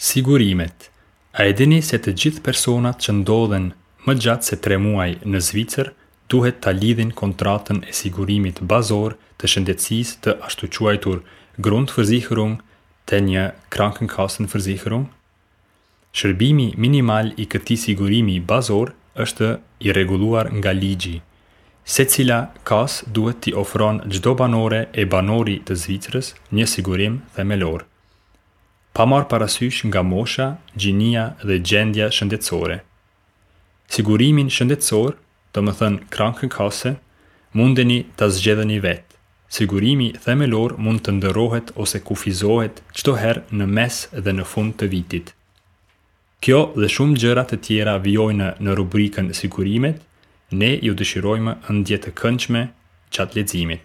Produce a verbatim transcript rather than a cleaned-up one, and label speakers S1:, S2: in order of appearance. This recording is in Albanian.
S1: Sigurimet. A e dini se të gjithë personat që ndodhen më gjatë se tre muaj në Zvicër duhet ta lidhin kontratën e sigurimit bazor të shëndetësisë të ashtuquajtur Grundversicherung te një Krankenkassenversicherung? Shërbimi minimal i këtij sigurimi bazor është i rregulluar nga ligji. Secila kasë duhet t'i ofron çdo banore e banori të Zvicrës një sigurim themelor pa marrë parasysh nga mosha, gjinia dhe gjendja shëndetësore. Sigurimin shëndetësor, do më thënë Krankenkasse, mundeni ta zgjedheni vetë. Sigurimi themelor mund të ndërrohet ose kufizohet çdo herë në mes dhe në fund të vitit. Kjo dhe shumë gjëra të tjera vijojnë në rubrikën Sigurimet, ne ju dëshirojmë ëndje të këndshme gjatë leximit.